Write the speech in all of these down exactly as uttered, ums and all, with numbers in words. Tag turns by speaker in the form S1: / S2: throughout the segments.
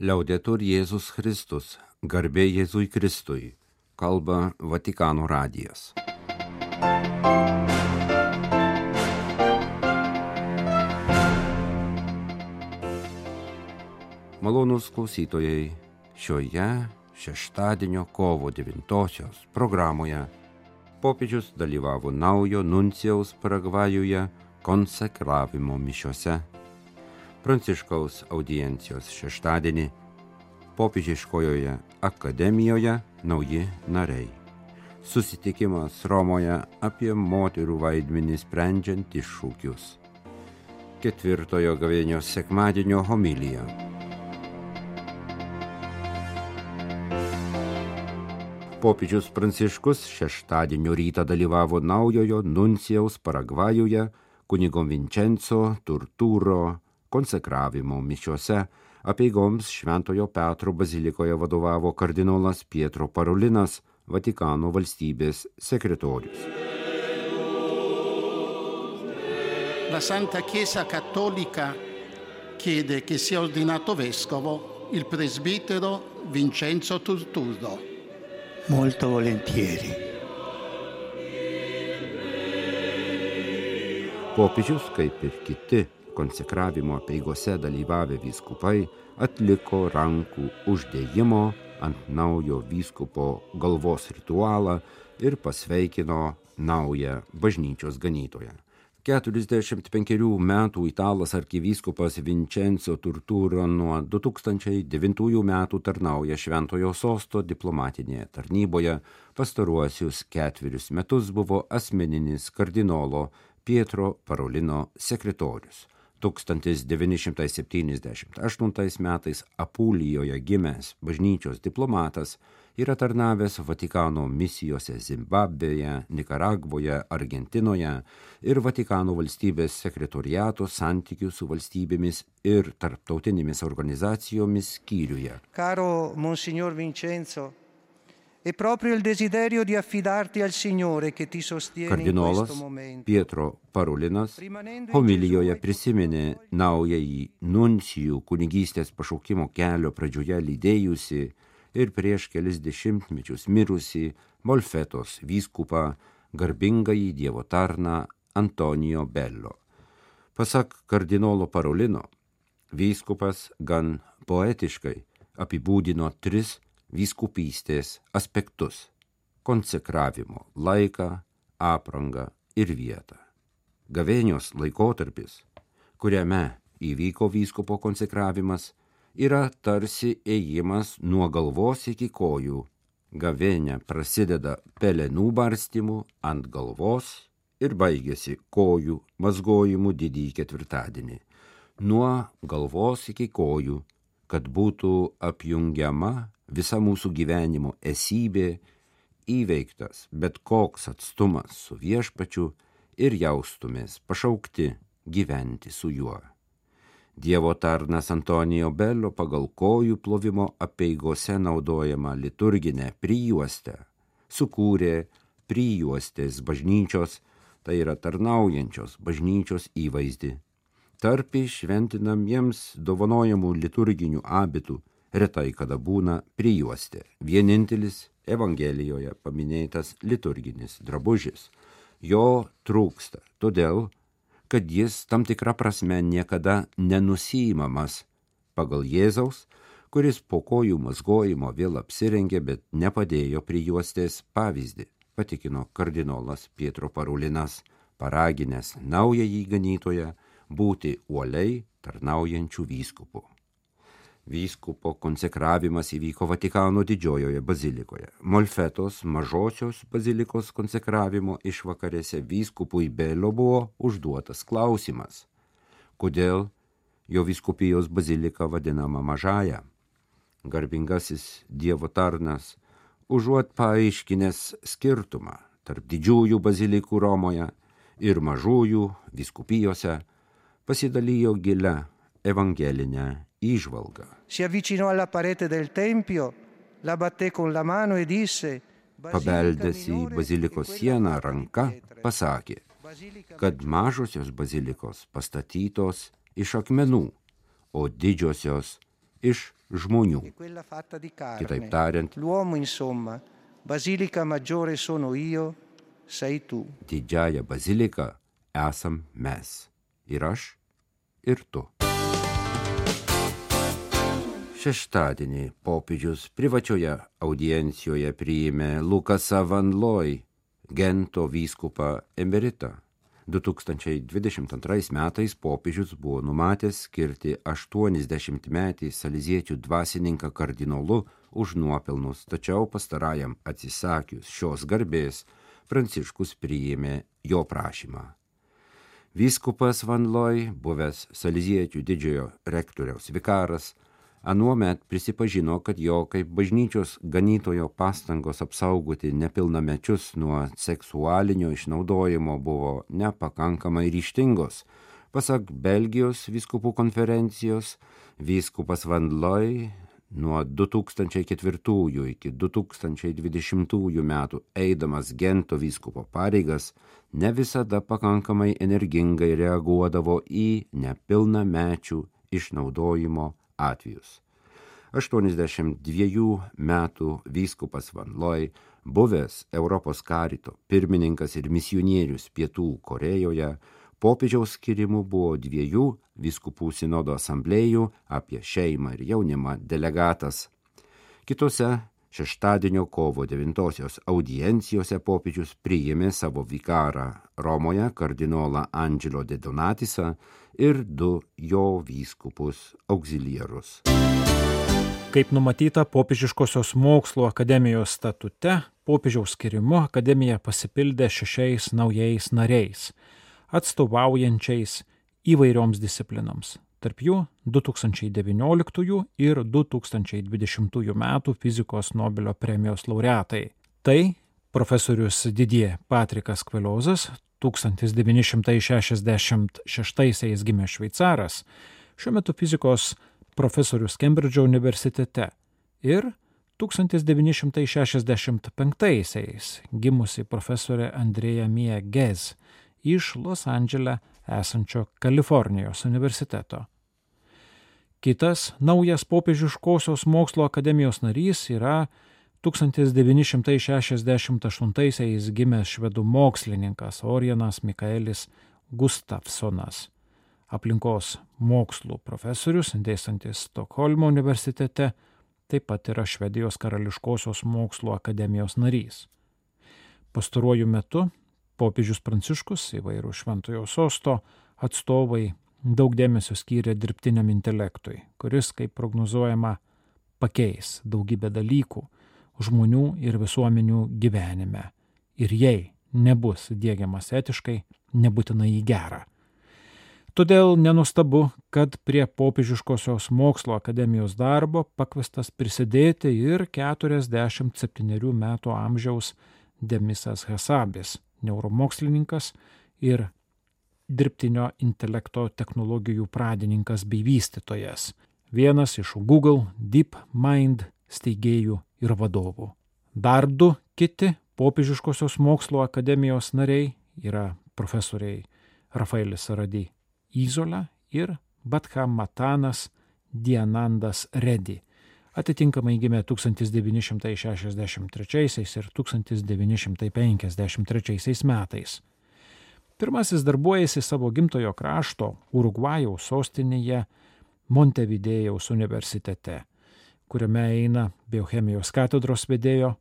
S1: Liaudetur Jėzus Kristus, garbė Jėzui Kristui, kalba Vatikano radijas. Malonūs klausytojai, šioje šeštadienio kovo devintosios programoje popiežius dalyvavo naujo nuncijaus Paragvajuje konsekravimo mišiose. Pranciškaus audiencijos šeštadienį popiežiškojoje akademijoje nauji nariai. Susitikimas Romoje apie moterų vaidmenį sprendžiant iššūkius. Ketvirtojo gavėnios sekmadienio homilija. Popiežius Pranciškus šeštadienio rytą dalyvavo naujojo nuncijaus Paragvajuje kunigo Vincenzo Turturo konsekravimo mišiose. Apeigoms Šventojo Petro bazilikoje vadovavo kardinolas Pietro Parolinas, Vatikano valstybės sekretorius.
S2: La Santa Chiesa Cattolica chiede che sia ordinato vescovo il presbitero Vincenzo Turturo.
S3: Molto volentieri.
S1: Popiežius, kaip ir kiti konsekravimo apeigose dalyvavę vyskupai, atliko rankų uždėjimo ant naujo vyskupo galvos ritualą ir pasveikino naują bažnyčios ganytoją. keturiasdešimt penkerių metų italas arkivyskupas Vincenzo Turturo nuo du tūkstančiai devintųjų metų tarnauja Šventojo Sosto diplomatinėje tarnyboje. Pastaruosius ketverius metus buvo asmeninis kardinolo Pietro Parolino sekretorius. tūkstantis devyni šimtai septyniasdešimt aštuntais metais Apulijoje gimęs bažnyčios diplomatas yra tarnavęs Vatikano misijose Zimbabvėje, Nikaragvoje, Argentinoje ir Vatikano valstybės sekretoriato santykių su valstybėmis ir tarptautinėmis organizacijomis skyriuje.
S3: Caro Monsignor Vincenzo, è proprio il desiderio di affidarti al Signore che ti sostiene in
S1: Kardinolas
S3: questo momento.
S1: Pietro Parolinas homilijoje prisiminė naująjį nuncijų kunigystės pašaukimo kelio pradžioje lydėjusi ir prieš kelis dešimtmečius mirusi Molfetos vyskupą, garbingąjį Dievo tarną Antonijo Bello. Pasak kardinolo Parolino, vyskupas gan poetiškai apibūdino tris vyskupystės aspektus – konsekravimo laiką, aprangą ir vietą. Gavėnios laikotarpis, kuriame įvyko vyskupo konsekravimas, yra tarsi ėjimas nuo galvos iki kojų. Gavėnia prasideda pelenų barstymu ant galvos ir baigiasi kojų mazgojimu didįjį ketvirtadienį. Nuo galvos iki kojų, kad būtų apjungiama visa mūsų gyvenimo esybė, įveiktas bet koks atstumas su viešpačiu ir jaustumės pašaukti gyventi su juo. Dievo tarnas Antonijo Bello pagal kojų plovimo apeigose naudojama liturginę prijuostę sukūrė prijuostės bažnyčios, tai yra tarnaujančios bažnyčios įvaizdį. Tarp šventinamiems dovanojamų liturginių abitų retai kada būna prijuostė, vienintelis Evangelijoje paminėtas liturginis drabužis. Jo trūksta, todėl, kad jis tam tikra prasme niekada nenusiimamas pagal Jėzaus, kuris po kojų mazgojimo vėl apsirengė, bet nepadėjo prijuostės pavyzdį, patikino kardinolas Pietro Parolinas, paraginęs naująjį ganytoją būti uoliai tarnaujančių vyskupų. Vyskupo konsekravimas įvyko Vatikano didžiojoje bazilikoje. Molfetos mažosios bazilikos konsekravimo išvakarėse vyskupui Bello buvo užduotas klausimas, kodėl jo vyskupijos bazilika vadinama mažąja. Garbingasis Dievo tarnas, užuot paaiškinęs skirtumą tarp didžiųjų bazilikų Romoje ir mažųjų vyskupijose, pasidalijo gilia evangelinę įžvalgą.
S3: Si avvicinò alla parete del tempio, la batté con la mano e disse:
S1: Pabeldęs į bazilikos sieną ranka, pasakė, kad mažosios bazilikos pastatytos iš akmenų, o didžiosios iš žmonių.
S3: e quella fatta di carne.
S1: Kitaip tariant,
S3: L'uomo, insomma, basilica maggiore sono io, sei tu.
S1: didžiąją baziliką esam mes. Ir aš, ir tu. Šeštadienį popiežius privačioje audiencijoje priėmė Lukasą Van Looy, Gento vyskupą emeritą. du tūkstančiai dvidešimt antrais metais popiežius buvo numatęs skirti aštuoniasdešimtmetį saleziečių dvasininką kardinolu už nuopelnus, tačiau pastarajam atsisakius šios garbės, Pranciškus priėmė jo prašymą. Vyskupas Van Looy, buvęs saleziečių didžiojo rektoriaus vikaras, anuomet prisipažino, kad jo kaip bažnyčios ganytojo pastangos apsaugoti nepilnamečius nuo seksualinio išnaudojimo buvo nepakankamai ryžtingos. Pasak Belgijos vyskupų konferencijos, vyskupas Van Looy nuo du tūkstančiai ketvirtųjų iki du tūkstančiai dvidešimtųjų metų eidamas Gento vyskupo pareigas ne visada pakankamai energingai reaguodavo į nepilnamečių išnaudojimo atvejus. aštuoniasdešimt dviejų metų vyskupas Van Looy, buvęs Europos karito pirmininkas ir misionierius Pietų Korėjoje, popiežiaus skirimu buvo dviejų vyskupų sinodo asamblėjų apie šeimą ir jaunimą delegatas. Kitose šeštadienio kovo devintosios audiencijose popiežius priėmė savo vikarą Romoje kardinolą Angelo de Donatisą ir du jo vyskupus auxiliarus.
S4: Kaip numatyta Popiežiškosios mokslo akademijos statute, popiežiaus skirimu akademija pasipildė šešiais naujais nariais, atstovaujančiais įvairioms disciplinoms. Tarp jų du tūkstančiai devynioliktųjų ir du tūkstančiai dvidešimtųjų metų fizikos Nobelio premijos laureatai. Tai profesorius Didier Patrikas Kvelozas, tūkstantis devyni šimtai šešiasdešimt šeštaisiais gimęs šveicaras, šiuo metu fizikos profesorius Kembridžo universitete, ir tūkstantis devyni šimtai šešiasdešimt penktaisiais gimusi profesorė Andrea Mia Ghez iš Los Andžele esančio Kalifornijos universiteto. Kitas naujas Popiežiškosios mokslo akademijos narys yra tūkstantis devyni šimtai šešiasdešimt aštuntaisiais gimęs švedų mokslininkas Orianas Mikaelis Gustafsonas, aplinkos mokslų profesorius, dėstantis Stokholmo universitete, taip pat yra Švedijos karališkosios mokslo akademijos narys. Pastaruoju metu popiežius Pranciškus, įvairių šventojo sosto atstovai, daug dėmesio skyrė dirbtiniam intelektui, kuris, kaip prognozuojama, pakeis daugybę dalykų žmonių ir visuomenių gyvenime. Ir jei nebus diegiamas etiškai, nebūtinai į gerą. Todėl nenustabu, kad prie Popiežiškosios mokslo akademijos darbo pakviestas prisidėti ir keturiasdešimt septynerių metų amžiaus Demisas Hasabis, neuromokslininkas ir dirbtinio intelekto technologijų pradininkas bei vystytojas, vienas iš Google DeepMind steigėjų ir vadovų. Dar du kiti Popiežiškosios mokslo akademijos nariai yra profesoriai Rafaelis Saradi Izola ir Badhamatanas Dianandas Reddy, atitinkamai gimė tūkstantis devyni šimtai šešiasdešimt trečiaisiais ir tūkstantis devyni šimtai penkiasdešimt trečiaisiais metais. Pirmasis darbuojasi savo gimtojo krašto Urugvajaus sostinėje Montevidėjaus universitete, kuriame eina biochemijos katedros vedėjo,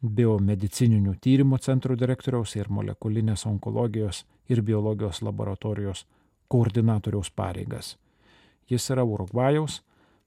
S4: biomedicininių tyrimų centrų direktoriaus ir molekulinės onkologijos ir biologijos laboratorijos koordinatoriaus pareigas. Jis yra Urugvajaus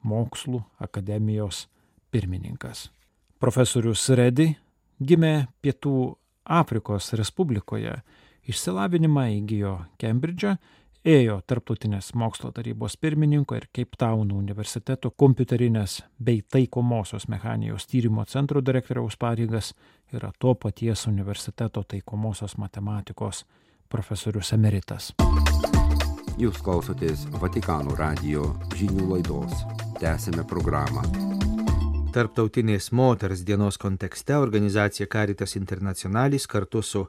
S4: mokslų akademijos pirmininkas. Profesorius Reddy gimė Pietų Afrikos Respublikoje, išsilavinimą įgijo Kembridže, ėjo Tarptautinės mokslo tarybos pirmininko ir Cape Town universiteto kompiuterinės bei taikomosios mechanijos tyrimo centro direktoriaus pareigas, yra to paties universiteto taikomosios matematikos profesorius emeritas.
S1: Jūs klausotės Vatikano radijo žinių laidos. Tęsime programą.
S5: Tarptautinės moters dienos kontekste organizacija Caritas Internationalis kartu su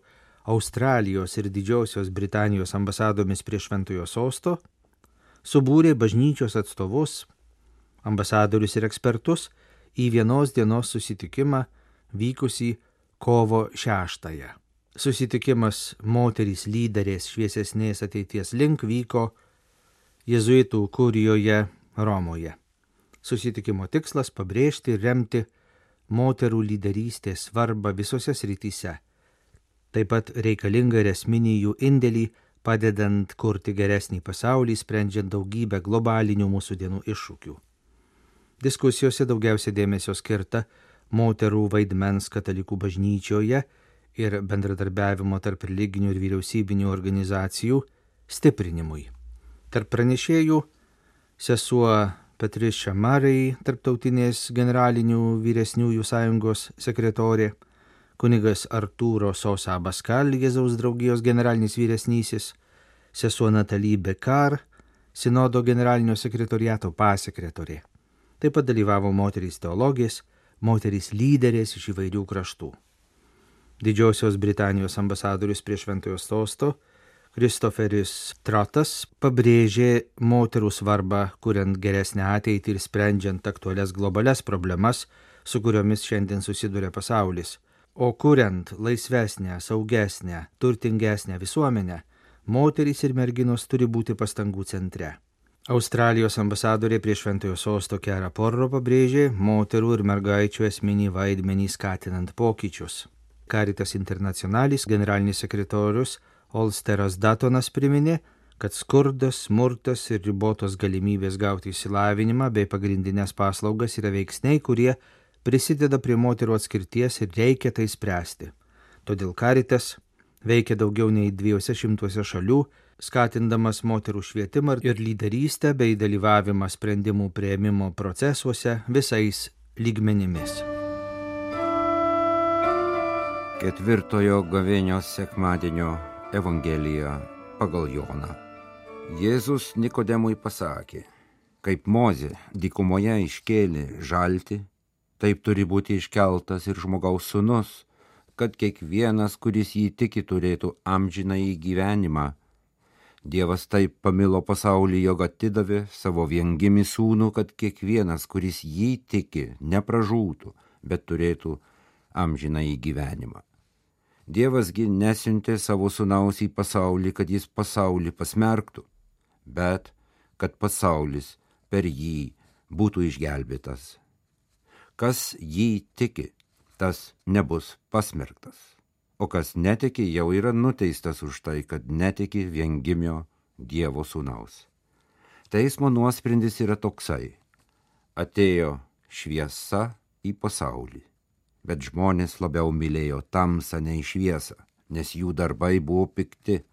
S5: Australijos ir Didžiosios Britanijos ambasadomis prie Šventojo sosto subūrė bažnyčios atstovus ambasadorius ir ekspertus į vienos dienos susitikimą vykusį kovo šeštąją. Susitikimas moterys lyderės šviesesnės ateities link vyko jėzuitų kurijoje Romoje. Susitikimo tikslas pabrėžti ir remti moterų lyderystės svarbą visose srityse. Taip pat reikalinga ir esminį jų indėlį, padedant kurti geresnį pasaulį, sprendžiant daugybę globalinių mūsų dienų iššūkių. Diskusijose daugiausia dėmesio skirta moterų vaidmens katalikų bažnyčioje ir bendradarbiavimo tarp religinių ir vyriausybinių organizacijų stiprinimui. Tarp pranešėjų sesuo Patricia Murray, tarptautinės generalinių vyresniųjų sąjungos sekretorė, kunigas Artūro Sosa Abascal, Jėzaus draugijos generalinis vyresnysis, sesuo Natalie Bekar, sinodo generalinio sekretoriato pasekretorė. Taip pat dalyvavo moterys teologės, moterys lyderės iš įvairių kraštų. Didžiosios Britanijos ambasadorius prie Šventojo Sosto Kristoferis Trotas pabrėžė moterų svarbą, kuriant geresnę ateitį ir sprendžiant aktualias globalias problemas, su kuriomis šiandien susiduria pasaulis. O kuriant laisvesnę, saugesnę, turtingesnę visuomenę, moterys ir merginos turi būti pastangų centre. Australijos ambasadorė prie Šventojo Sosto Kera Porro pabrėžė moterų ir mergaičių esminį vaidmenį skatinant pokyčius. Caritas Internationalis generalinis sekretorius Olsteras Datonas priminė, kad skurdas, smurtas ir ribotos galimybės gauti išsilavinimą bei pagrindinės paslaugas yra veiksniai, kurie prisideda prie moterų atskirties ir reikia tai spręsti. Todėl Caritas veikia daugiau nei dviejose šimtuose šalių, skatindamas moterų švietimą ir lyderystę bei dalyvavimą sprendimų priėmimo procesuose visais lygmenimis.
S1: Ketvirtojo gavėnios sekmadienio Evangelija pagal Joną. Jėzus Nikodemui pasakė, kaip Mozė dykumoje iškėlė žaltį, taip turi būti iškeltas ir žmogaus sūnus, kad kiekvienas, kuris jį tiki, turėtų amžinąjį gyvenimą. Dievas taip pamilo pasaulį, jog atidavė savo viengimį sūnų, kad kiekvienas, kuris jį tiki, nepražūtų, bet turėtų amžinąjį gyvenimą. Dievasgi nesiuntė savo sūnaus į pasaulį, kad jis pasaulį pasmerktų, bet kad pasaulis per jį būtų išgelbėtas. Kas jį tiki, tas nebus pasmerktas, o kas netiki, jau yra nuteistas už tai, kad netiki viengimio Dievo sūnaus. Teismo nuosprendis yra toksai: atėjo šviesa į pasaulį, bet žmonės labiau mylėjo tamsą nei šviesą, nes jų darbai buvo pikti.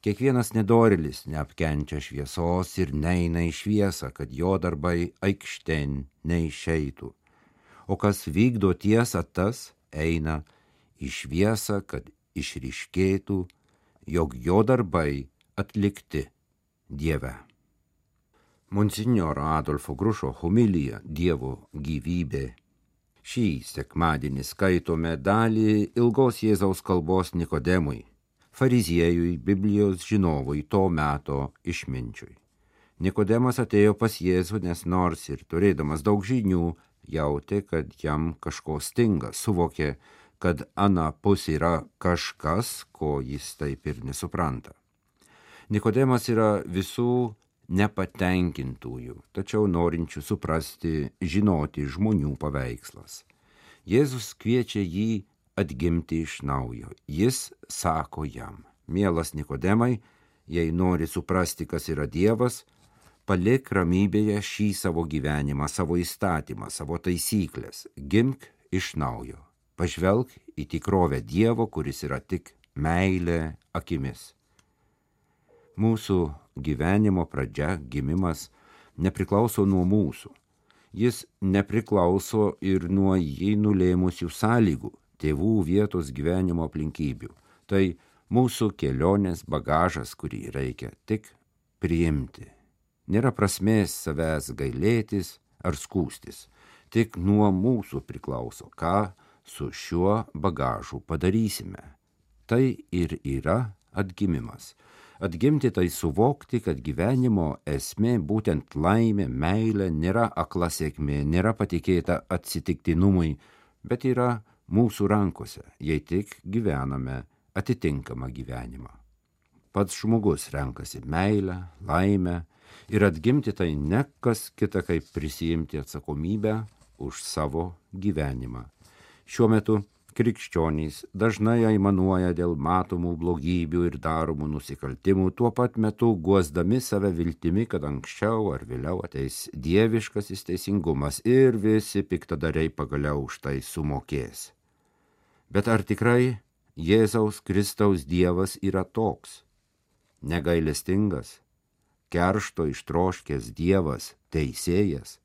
S1: Kiekvienas nedorėlis neapkenčia šviesos ir neina į šviesą, kad jo darbai aikštėn neišeitų. O kas vykdo tiesą, tas eina į šviesą, kad išryškėtų, jog jo darbai atlikti Dieve. Monsinjoro Adolfo Grušo homilija Dievo gyvybė. Šį sekmadienį skaitome dalį ilgos Jėzaus kalbos Nikodemui, fariziejui, Biblijos žinovui, to meto išminčiui. Nikodemas atėjo pas Jėzų, nes nors ir turėdamas daug žinių, jautė, kad jam kažko stinga, suvokė, kad anapus yra kažkas, ko jis taip ir nesupranta. Nikodemas yra visų nepatenkintųjų, tačiau norinčių suprasti, žinoti žmonių paveikslas. Jėzus kviečia jį atgimti iš naujo. Jis sako jam: mielas Nikodemai, jei nori suprasti, kas yra Dievas, palik ramybėje šį savo gyvenimą, savo įstatymą, savo taisyklės, gimk iš naujo, pažvelk į tikrovę Dievo, kuris yra tik meilė akimis. Mūsų gyvenimo pradžia, gimimas, nepriklauso nuo mūsų. Jis nepriklauso ir nuo jį nulėmusių sąlygų, tėvų, vietos, gyvenimo aplinkybių. Tai mūsų kelionės bagažas, kurį reikia tik priimti. Nėra prasmės savęs gailėtis ar skūstis. Tik nuo mūsų priklauso, ką su šiuo bagažu padarysime. Tai ir yra atgimimas. Atgimti tai suvokti, kad gyvenimo esmė, būtent laimė, meilė, nėra akla sėkmė, nėra patikėta atsitiktinumui, bet yra mūsų rankose, jei tik gyvename atitinkamą gyvenimą. Pats žmogus renkasi meilę, laimę ir atgimti tai ne kas kita, kaip prisijimti atsakomybę už savo gyvenimą. Šiuo metu krikščionys dažnai aimanuoja dėl matomų blogybių ir daromų nusikaltimų, tuo pat metu guosdami save viltimi, kad anksčiau ar vėliau ateis dieviškasis teisingumas ir visi piktadariai pagaliau už tai sumokės. Bet ar tikrai Jėzaus Kristaus Dievas yra toks? Negailestingas, keršto ištroškęs Dievas, teisėjas?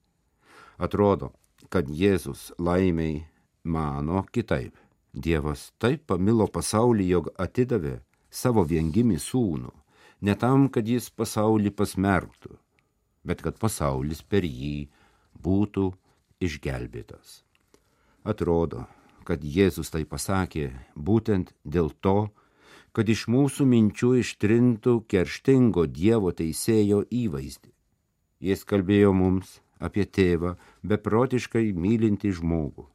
S1: Atrodo, kad Jėzus laimiai mano kitaip. Dievas taip pamilo pasaulį, jog atidavė savo viengimį sūnų, ne tam, kad jis pasaulį pasmerktų, bet kad pasaulis per jį būtų išgelbėtas. Atrodo, kad Jėzus tai pasakė būtent dėl to, kad iš mūsų minčių ištrintų kerštingo Dievo teisėjo įvaizdį. Jis kalbėjo mums apie tėvą beprotiškai mylintį žmogų,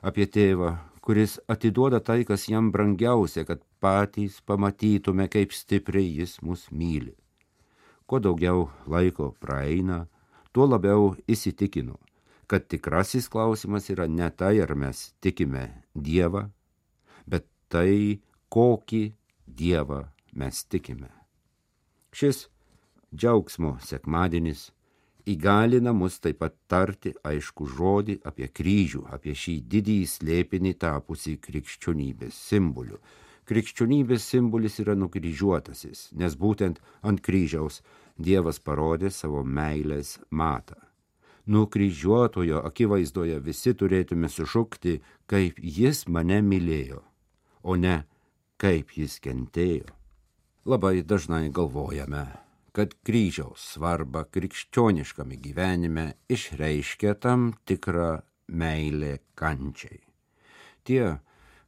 S1: apie tėvą, kuris atiduoda tai, kas jam brangiausia, kad patys pamatytume, kaip stipriai jis mus myli. Kuo daugiau laiko praeina, tuo labiau įsitikinu, kad tikrasis klausimas yra ne tai, ar mes tikime Dievą, bet tai, kokį Dievą mes tikime. Šis džiaugsmo sekmadienis įgalina mus taip pat tarti aišku žodį apie kryžių, apie šį didįjį slėpinį tapusį krikščionybės simboliu. Krikščionybės simbolis yra nukryžiuotasis, nes būtent ant kryžiaus Dievas parodė savo meilės matą. Nukryžiuotojo akivaizdoje visi turėtume sušukti, kaip jis mane mylėjo, o ne kaip jis kentėjo. Labai dažnai galvojame, kad kryžiaus svarba krikščioniškame gyvenime išreiškia tam tikrą meilę kančiai. Tie,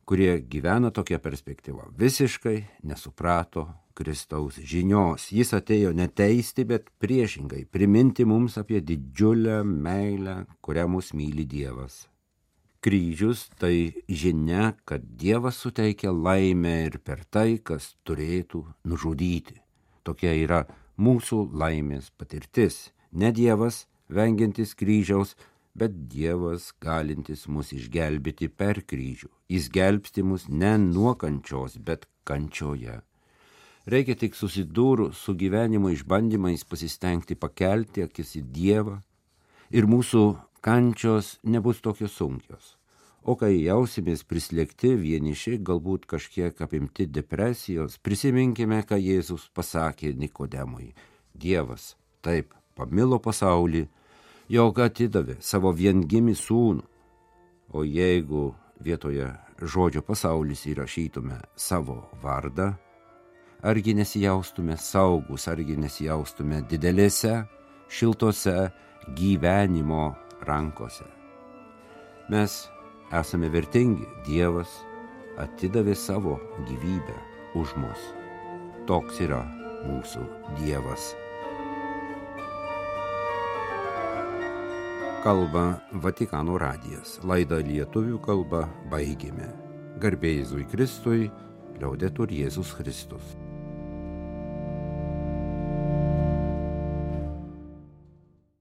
S1: kurie gyvena tokia perspektyva, visiškai nesuprato Kristaus žinios. Jis atėjo ne teisti, bet priešingai priminti mums apie didžiulę meilę, kurią mus myli Dievas. Kryžius tai žinia, kad Dievas suteikia laimę ir per tai, kas turėtų nužudyti. Tokia yra mūsų laimės patirtis. Ne Dievas vengiantis kryžiaus, bet Dievas galintis mus išgelbėti per kryžių. Jis gelbsti mus ne nuo kančios, bet kančioje. Reikia tik susidūrus su gyvenimo išbandymais pasistengti pakelti akis į Dievą ir mūsų kančios nebus tokios sunkios. O kai jausimės prislėgti, vieniši, galbūt kažkiek apimti depresijos, prisiminkime, ką Jėzus pasakė Nikodemui. Dievas taip pamilo pasaulį, jog atidavė savo viengimį sūnų. O jeigu vietoje žodžio pasaulis įrašytume savo vardą, argi nesijaustume saugus, argi nesijaustume didelėse, šiltose gyvenimo rankose. Mes esame vertingi, Dievas atidavė savo gyvybę už mus. Toks yra mūsų Dievas. Kalba Vatikano radijas. Laidą lietuvių kalba baigėme. Garbė Jėzui Kristui, liaudetur Jėzus Kristus.